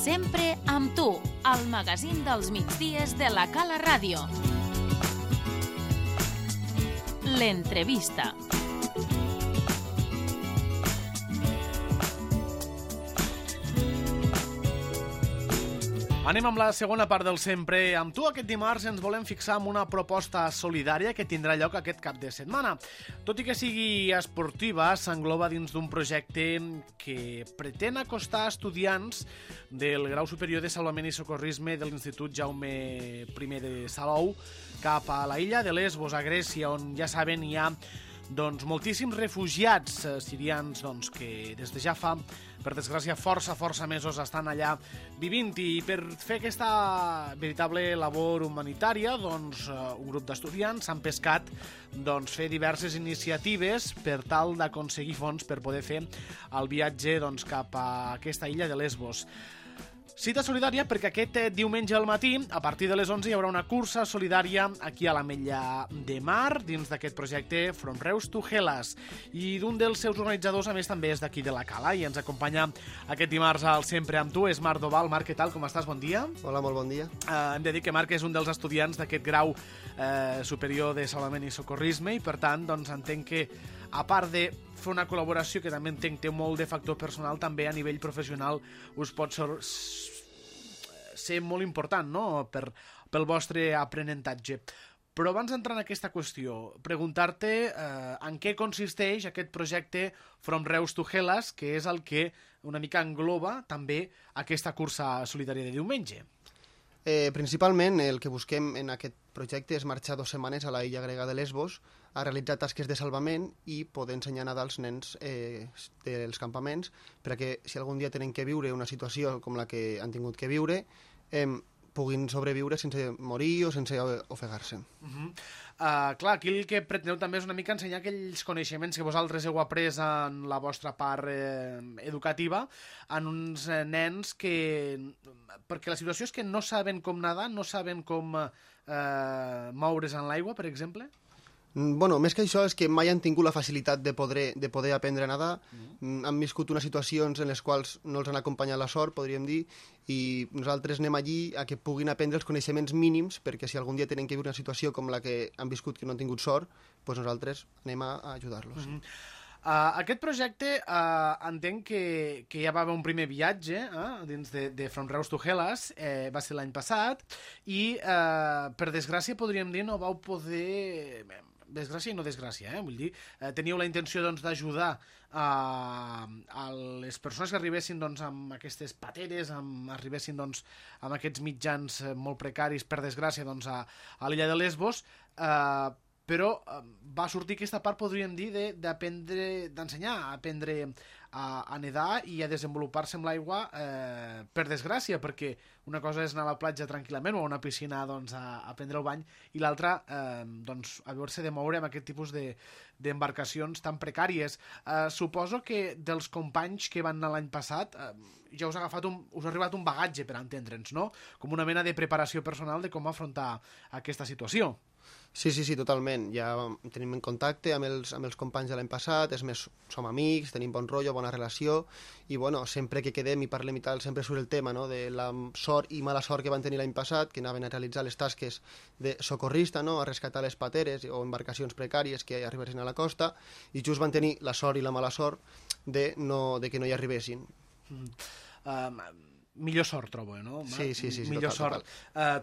Sempre amb tu, al magazín dels migdies de la Cala Ràdio. L'entrevista. Anem amb la segona part del Sempre amb tu. Aquest dimarts ens volem fixar en una proposta solidària que tindrà lloc aquest cap de setmana. Tot i que sigui esportiva, s'engloba dins d'un projecte que pretén acostar estudiants del grau superior de Salvament i Socorrisme de l'Institut Jaume I de Salou cap a la illa de Lesbos, a Grècia, on ja saben hi ha moltíssims refugiats sirians que des de ja fa, per desgràcia, força mesos estan allà vivint, i per fer aquesta veritable labor humanitària un grup d'estudiants han pescat fer diverses iniciatives per tal d'aconseguir fons per poder fer el viatge cap a aquesta illa de Lesbos. Cita solidària perquè aquest diumenge al matí, a partir de les 11, hi haurà una cursa solidària aquí a l'Ametlla de Mar, dins d'aquest projecte From Reus to Hellas. I d'un dels seus organitzadors, a més, també és d'aquí de la Cala, i ens acompanya aquest dimarts al Sempre amb tu, és Marc Doval. Marc, què tal? Com estàs? Bon dia. Hola, molt bon dia. Hem de dir que Marc és un dels estudiants d'aquest grau superior de Salvament i Socorrisme, i per tant, entenc que, a part de fer una col·laboració que també entenc té molt de factor personal, també a nivell professional us pot ser molt important, no?, pel vostre aprenentatge. Però abans d'entrar en aquesta qüestió, preguntar-te en què consisteix aquest projecte From Reus to Hellas, que és el que una mica engloba també aquesta cursa solidària de diumenge. Principalment el que busquem en aquest projecte és marxar 2 setmanes a la illa grega de Lesbos a realitzar tasques de salvament i poder ensenyar nedar als nens dels campaments, perquè si algun dia tenen que viure una situació com la que han tingut que viure, puguin sobreviure sense morir o sense ofegar-se. Clar, aquí el que preteneu també és una mica ensenyar aquells coneixements que vosaltres heu après en la vostra part educativa en uns nens que... perquè la situació és que no saben com nedar, no saben com moure's en l'aigua, per exemple? Bueno, més que això és que mai han tingut la facilitat de poder aprendre a nedar. Han viscut unes situacions en les quals no els han acompanyat la sort, podríem dir, i nosaltres anem allí a que puguin aprendre els coneixements mínims, perquè si algun dia tenen que viure una situació com la que han viscut que no han tingut sort, doncs nosaltres anem a ajudar-los. Aquest projecte entenc que ja va haver un primer viatge dins de From Reus to Hellas, va ser l'any passat, i per desgràcia podríem dir no vau poder... Desgràcia i no desgràcia, vull dir, teníeu la intenció d'ajudar a les persones que arribessin amb aquestes pateres, arribessin amb aquests mitjans molt precaris, per desgràcia, a l'illa de Lesbos, però va sortir aquesta part, podríem dir, d'ensenyar a aprendre a nedar i a desenvolupar-se amb l'aigua, per desgràcia, perquè una cosa és anar a la platja tranquil·lament o a una piscina a prendre el bany, i l'altra haver-se de moure amb aquest tipus d'embarcacions tan precàries. Suposo que dels companys que van anar l'any passat ja us ha arribat un bagatge, per entendre'ns, no? Com una mena de preparació personal de com afrontar aquesta situació. Sí, totalment. Ja tenim en contacte amb els companys de l'any passat, és més, som amics, tenim bon rotllo, bona relació, i bueno, sempre que quedem i parlem i tal, sempre surt el tema, no?, de la sort i mala sort que van tenir l'any passat, que anaven a realitzar les tasques de socorrista, no?, a rescatar les pateres o embarcacions precàries que arribessin a la costa, i just van tenir la sort i la mala sort de que no hi arribessin. Millor sort, trobo, no? Sí, millor total.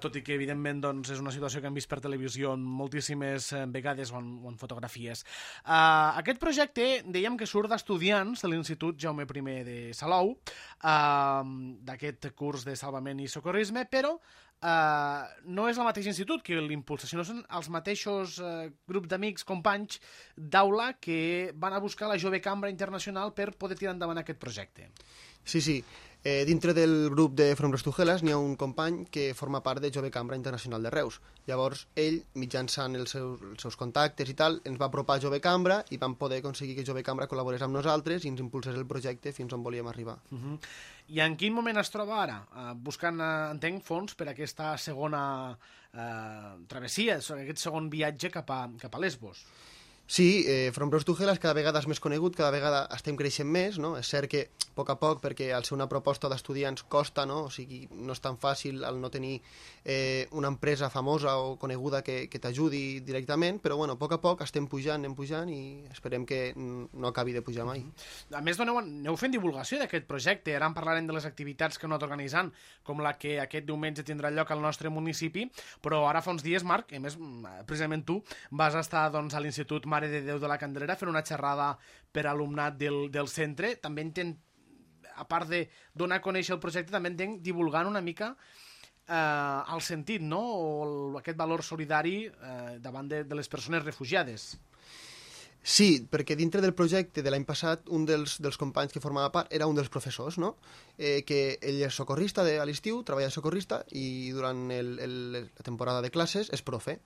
Tot i que, evidentment, és una situació que hem vist per televisió moltíssimes vegades o en fotografies. Aquest projecte, dèiem que surt d'estudiants de l'Institut Jaume I de Salou, d'aquest curs de salvament i socorrisme, però no és el mateix institut que l'impulsa, sinó són els mateixos grups d'amics, companys d'aula que van a buscar la Jove Cambra Internacional per poder tirar endavant aquest projecte. Sí. Dintre del grup de From Reus to Hellas n'hi ha un company que forma part de Jove Cambra Internacional de Reus. Llavors, ell, mitjançant els seus contactes i tal, ens va apropar a Jove Cambra i vam poder aconseguir que Jove Cambra col·laborés amb nosaltres i ens impulsés el projecte fins on volíem arribar. I en quin moment es troba ara? Buscant, entenc, fons per a aquesta segona travessia, aquest segon viatge cap a Lesbos. Sí, From Reus to Hellas cada vegada és més conegut, cada vegada estem creixent més, no? És cert que a poc, perquè al ser una proposta d'estudiants costa, no? O sigui, no és tan fàcil al no tenir una empresa famosa o coneguda que t'ajudi directament, però bueno, a poc estem pujant, anem pujant i esperem que no acabi de pujar mai. A més, aneu fent divulgació d'aquest projecte, ara en parlarem de les activitats que heu anat organitzant, com la que aquest diumenge tindrà lloc al nostre municipi, però ara fa uns dies, Marc, a més, precisament tu vas estar doncs, a l'Institut Mare de Déu de la Candelera fent una xerrada per alumnat del centre. També a part de donar a conèixer el projecte, també entenc divulgant una mica el sentit, no? O aquest valor solidari davant de les persones refugiades. Sí, perquè dintre del projecte de l'any passat, un dels companys que formava part era un dels professors, no? Que ell és socorrista a l'estiu, treballa de socorrista i durant la temporada de classes és profe.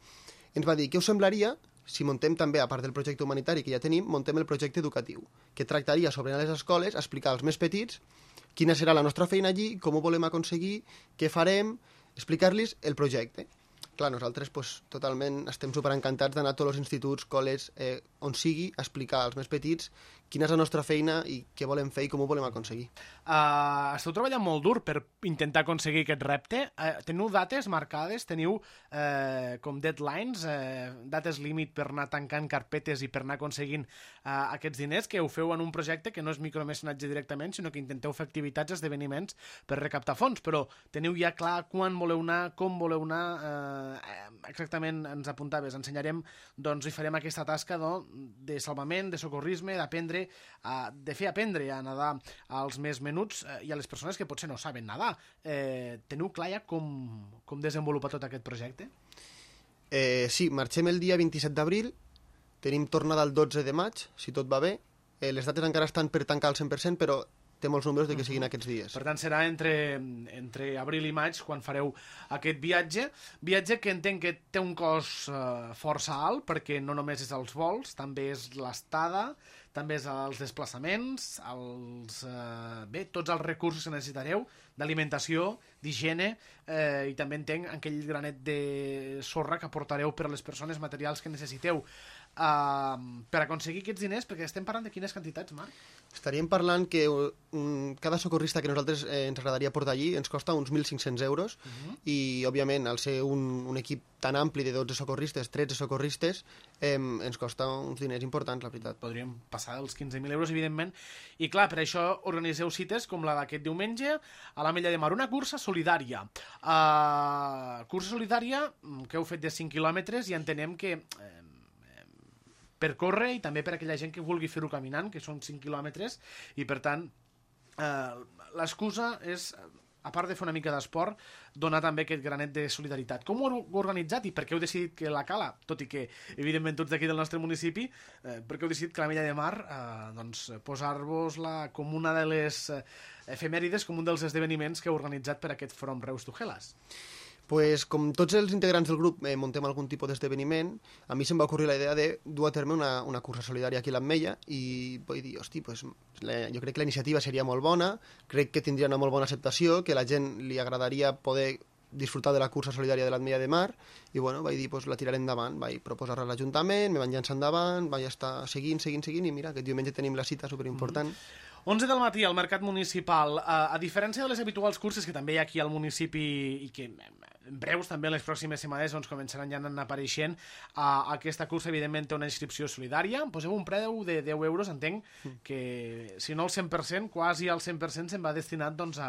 Ens va dir, què us semblaria si montem també, a part del projecte humanitari que ja tenim, montem el projecte educatiu, que tractaria sobre anar a les escoles, explicar als més petits quina serà la nostra feina allí, com ho volem aconseguir, què farem, explicar-los el projecte. Clar, nosaltres totalment estem superencantats d'anar a tots els instituts, col·les, on sigui, a explicar als més petits quina és la nostra feina i què volem fer i com ho volem aconseguir. Esteu treballant molt dur per intentar aconseguir aquest repte. Teniu dates marcades? Teniu com deadlines, dates límit per anar tancant carpetes i per anar aconseguint aquests diners, que ho feu en un projecte que no és micromecenatge directament, sinó que intenteu fer activitats, esdeveniments per recaptar fons, però teniu ja clar quan voleu anar, com voleu anar, exactament ens apuntaves, ensenyarem, doncs, i farem aquesta tasca de salvament, de socorrisme, d'aprendre, de fer aprendre a nedar als més menuts i a les persones que potser no saben nedar. Teniu clar ja com desenvolupar tot aquest projecte? Sí, marxem el dia 27 d'abril, tenim tornada el 12 de maig, si tot va bé. Les dates encara estan per tancar al 100%, però té molts números de que siguin aquests dies. Per tant, serà entre abril i maig quan fareu aquest viatge que entenc que té un cost força alt, perquè no només és els vols, també és l'estada, també és els desplaçaments, tots els recursos que necessitareu d'alimentació, d'higiene, i també entenc aquell granet de sorra que aportareu per a les persones, materials que necessiteu. Per aconseguir aquests diners, perquè estem parlant de quines quantitats, Marc? Estaríem parlant que cada socorrista que nosaltres ens agradaria portar allí ens costa uns 1.500 euros i, òbviament, al ser un equip tan ampli de 12 socorristes, 13 socorristes, ens costa uns diners importants, la veritat. Podríem passar dels 15.000 euros, evidentment. I, clar, per això organiseu cites com la d'aquest diumenge a l'Ametlla de Mar, una cursa solidària. Cursa solidària que heu fet de 5 quilòmetres i entenem que per córrer i també per aquella gent que vulgui fer-ho caminant, que són 5 quilòmetres, i per tant l'excusa és, a part de fer una mica d'esport, donar també aquest granet de solidaritat. Com ho heu organitzat i per què heu decidit que la Cala, tot i que evidentment tots d'aquí del nostre municipi, per què heu decidit que l'Ametlla de Mar posar-vos-la com una de les efemèrides, com un dels esdeveniments que heu organitzat per aquest From Reus to Hellas? Pues, com tots els integrants del grup montem algun tipus d'esdeveniment, a mi se'm va ocórrer la idea de dur a terme una cursa solidària aquí a l'Ametlla i vaig dir, hosti, pues, jo crec que la iniciativa seria molt bona, crec que tindria una molt bona acceptació, que a la gent li agradaria poder disfrutar de la cursa solidària de l'Ametlla de Mar i bueno, vaig dir, pues, la tiraré endavant, vaig proposar-la a l'Ajuntament, me van llançar endavant, vaig estar seguint i mira, aquest diumenge tenim la cita superimportant. 11 del matí al Mercat Municipal. A diferència de les habituals curses que també hi ha aquí al municipi i que en breus també en les pròximes setmanes començaran ja a anar apareixent, aquesta cursa evidentment té una inscripció solidària. Poseu un preu de 10 euros, entenc que si no el 100%, quasi al 100% se'n va destinat doncs,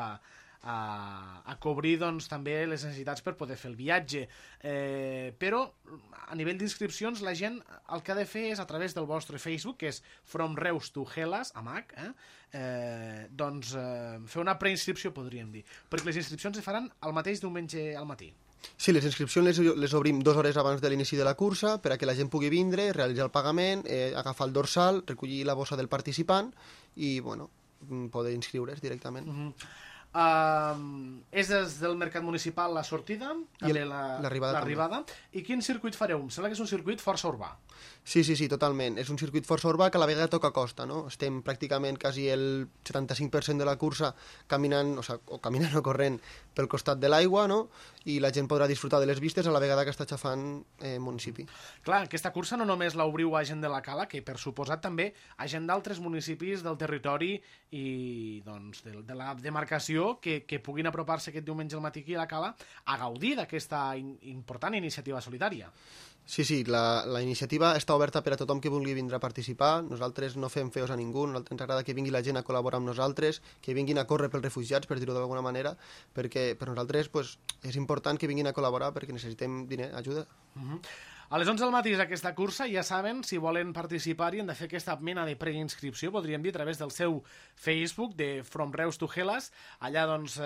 a cobrir doncs, també les necessitats per poder fer el viatge, però a nivell d'inscripcions la gent el que ha de fer és a través del vostre Facebook, que és From Reus to Hellas amb H, doncs fer una preinscripció, podríem dir, perquè les inscripcions es faran el mateix diumenge al matí. Sí, les inscripcions les obrim 2 hores abans de l'inici de la cursa per a que la gent pugui vindre, realitzar el pagament, agafar el dorsal, recollir la bossa del participant i bueno, poder inscriure's directament. És des del Mercat Municipal la sortida, també l'arribada. I quin circuit fareu? Em sembla que és un circuit força urbà. Sí, totalment. És un circuit força urbà que a la vegada toca costa, no? Estem pràcticament quasi el 75% de la cursa caminant, o caminant o corrent pel costat de l'aigua, no? I la gent podrà disfrutar de les vistes a la vegada que està xafant municipi. Clar, aquesta cursa no només l'obriu a gent de la Cala, que per suposat també a gent d'altres municipis del territori i doncs, de la demarcació que puguin apropar-se aquest diumenge al matí aquí a la Cala a gaudir d'aquesta important iniciativa solidària. Sí, la iniciativa està oberta per a tothom que vulgui vindre a participar. Nosaltres no fem feos a ningú, nosaltres ens agrada que vingui la gent a col·laborar amb nosaltres, que vinguin a córrer pels refugiats, per dir-ho d'alguna manera, perquè per nosaltres és important que vinguin a col·laborar perquè necessitem diner, ajuda. A les 11 del matí és aquesta cursa, ja saben, si volen participar i han de fer aquesta mena de preinscripció, podríem dir, a través del seu Facebook de From Reus to Hellas. Allà doncs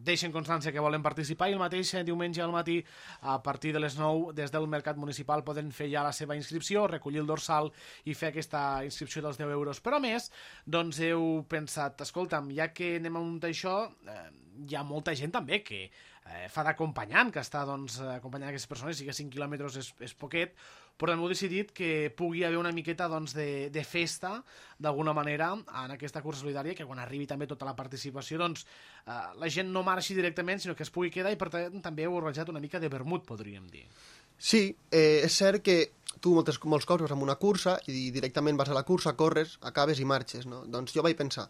deixen constància que volen participar i el mateix diumenge al matí a partir de les 9 des del Mercat Municipal poden fer ja la seva inscripció, recollir el dorsal i fer aquesta inscripció dels 10 euros. Però a més, doncs heu pensat, escolta'm, ja que anem a muntar això, hi ha molta gent també que fa d'acompanyant, que està acompanyant aquestes persones, sí que 5 quilòmetres és poquet, però també heu decidit que pugui haver una miqueta de festa, d'alguna manera, en aquesta cursa solidària, que quan arribi també tota la participació, la gent no marxi directament, sinó que es pugui quedar, i per tant també heu organitzat una mica de vermut, podríem dir. Sí, és cert que tu molts cops vas amb una cursa i directament vas a la cursa, corres, acabes i marxes, no? Doncs jo vaig pensar,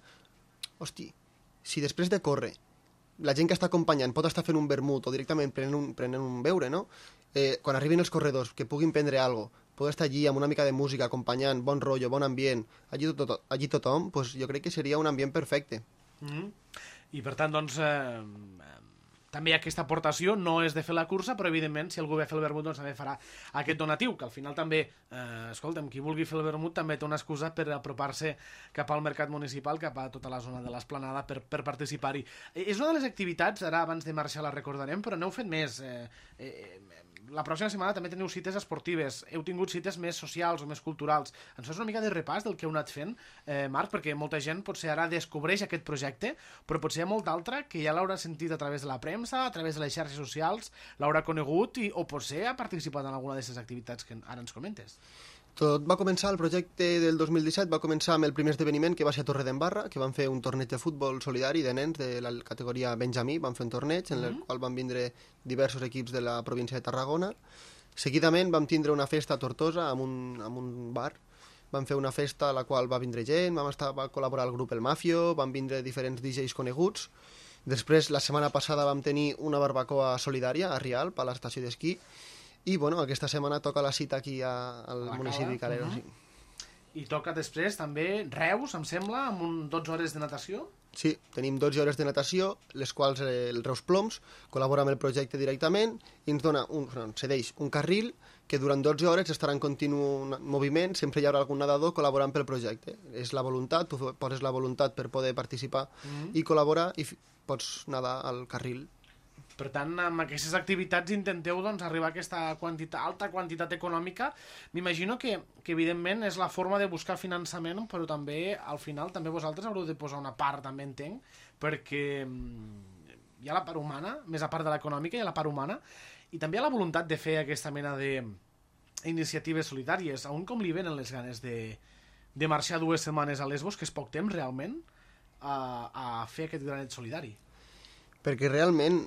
hosti, si després de córrer la gent que està acompanyant pot estar fent un vermut o directament prenent un beure, no? Quan arribin els corredors, que puguin prendre alguna cosa, poder estar allí amb una mica de música, acompanyant, bon rotllo, bon ambient, allí tothom, doncs jo crec que seria un ambient perfecte. I per tant, doncs, també aquesta aportació no és de fer la cursa, però evidentment si algú ve a fer el vermut doncs també farà aquest donatiu, que al final també, escolta'm, qui vulgui fer el vermut també té una excusa per apropar-se cap al mercat municipal, cap a tota la zona de l'Esplanada per participar-hi. És una de les activitats, ara abans de marxar la recordarem, però n'heu fet més. La pròxima setmana també teniu cites esportives, heu tingut cites més socials o més culturals. Ens fas una mica de repàs del que heu anat fent, Marc, perquè molta gent potser ara descobreix aquest projecte, però potser hi ha molta altra que ja l'haurà sentit a través de la premsa, a través de les xarxes socials, l'haurà conegut o potser ha participat en alguna d'aquestes activitats que ara ens comentes. Tot va començar, el projecte del 2017 va començar amb el primer esdeveniment que va ser a Torredembarra, que van fer un torneig de futbol solidari de nens de la categoria Benjamí, van fer un torneig en el qual van vindre diversos equips de la província de Tarragona. Seguidament vam tindre una festa a Tortosa amb un bar, vam fer una festa a la qual va vindre gent, va col·laborar el grup El Mafio, van vindre diferents DJs coneguts. Després, la setmana passada vam tenir una barbacoa solidària a Rialp, a l'estació d'esquí, i bueno, aquesta setmana toca la cita aquí al municipi de Calero. Sí. I toca després també Reus, em sembla, amb 12 hores de natació? Sí, tenim 12 hores de natació, les quals el Reus Ploms col·labora amb el projecte directament i ens cedeix un carril que durant 12 hores estarà en continu moviment, sempre hi haurà algun nedador col·laborant pel projecte. És la voluntat, tu poses la voluntat per poder participar i col·laborar i pots nedar al carril. Per tant, amb aquestes activitats intenteu arribar a aquesta alta quantitat econòmica. M'imagino que evidentment és la forma de buscar finançament, però també, al final, també vosaltres haureu de posar una part, també entenc, perquè hi ha la part humana, més a part de l'econòmica, hi ha la part humana, i també hi ha la voluntat de fer aquesta mena d'iniciatives solidàries. A un com li venen les ganes de marxar 2 setmanes a Lesbos, que és poc temps realment, a fer aquest granet solidari? Perquè realment,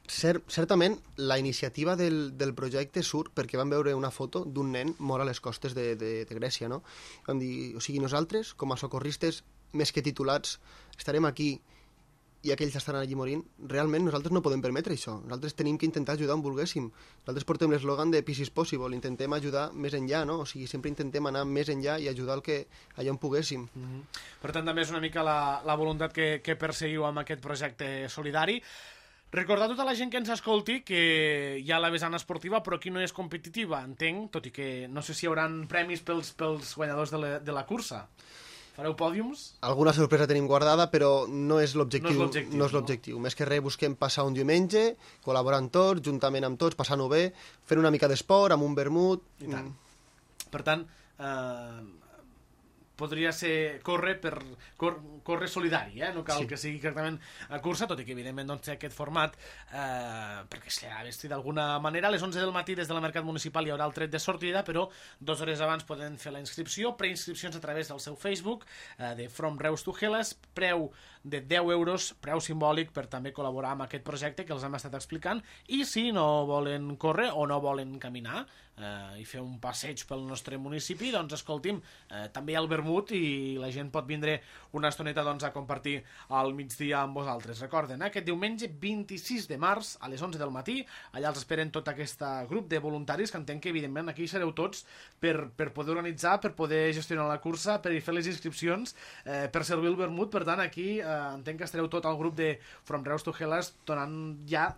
certament, la iniciativa del projecte surt perquè vam veure una foto d'un nen mort a les costes de Grècia, no? Vam dir, o sigui, nosaltres, com a socorristes més que titulats, estarem aquí i aquells estaran allí morint. Realment nosaltres no podem permetre això. Nosaltres tenim que intentar ajudar on volguéssim. Nosaltres portem l'eslògan de Peace is possible, intentem ajudar més enllà, no? O sigui, sempre intentem anar més enllà i ajudar allà on poguéssim. Per tant, també és una mica la voluntat que perseguiu amb aquest projecte solidari. Recordar a tota la gent que ens escolti que hi ha la vessant esportiva, però aquí no és competitiva, entenc, tot i que no sé si hi haurà premis pels guanyadors de la cursa. Fareu pòdiums? Alguna sorpresa tenim guardada, però no és l'objectiu. No és l'objectiu. Més que res busquem passar un diumenge, col·laborant tots, juntament amb tots, passant-ho bé, fent una mica d'esport, amb un vermut. I tant. Per tant, podria ser córrer solidari, no cal que sigui exactament cursa, tot i que evidentment doncs, té aquest format perquè s'ha vestit d'alguna manera. A les 11 del matí des de la Mercat Municipal hi haurà el tret de sortida, però 2 hores abans poden fer la inscripció, preinscripcions a través del seu Facebook de From Reus to Hellas, preu de 10 euros, preu simbòlic per també col·laborar amb aquest projecte que els hem estat explicant, i si no volen córrer o no volen caminar i fer un passeig pel nostre municipi, doncs escolti'm, també hi ha el vermut i la gent pot vindre una estoneta doncs, a compartir al migdia amb vosaltres. Recorden, aquest diumenge 26 de març a les 11 del matí, allà els esperen tot aquest grup de voluntaris, que entenc que evidentment aquí sereu tots per poder organitzar, per poder gestionar la cursa, per fer les inscripcions, per servir el vermut. Per tant, aquí entenc que estareu tot el grup de From Reus to Hellas donant ja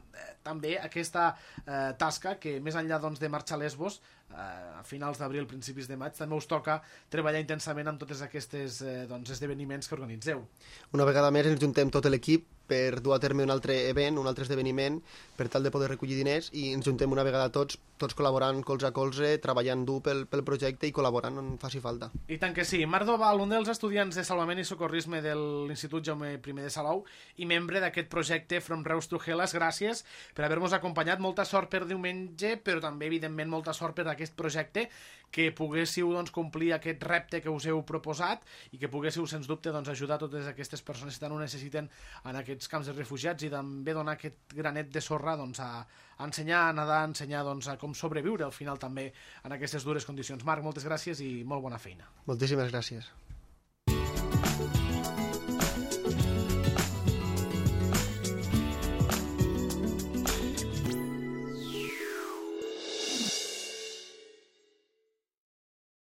també aquesta tasca que més enllà doncs, de marxar a Lesbos a finals d'abril, principis de maig, també us toca treballar intensament amb tots aquests esdeveniments que organitzeu. Una vegada més ens juntem tot l'equip per dur a terme un altre event, un altre esdeveniment, per tal de poder recollir diners, i ens juntem una vegada tots col·laborant colze a colze, treballant dur pel projecte i col·laborant on faci falta. I tant que sí. Marc Doval, un dels estudiants de Salvament i Socorrisme de l'Institut Jaume I de Salou i membre d'aquest projecte From Reus to Hellas, gràcies per haver-nos acompanyat. Molta sort per diumenge, però també, evidentment, molta sort per aquest projecte, que poguéssiu complir aquest repte que us heu proposat i que poguéssiu, sens dubte, ajudar totes aquestes persones que tant ho necessiten en aquests camps de refugiats, i també donar aquest granet de sorra a ensenyar a nedar, a ensenyar a com sobreviure al final també en aquestes dures condicions. Marc, moltes gràcies i molt bona feina. Moltíssimes gràcies.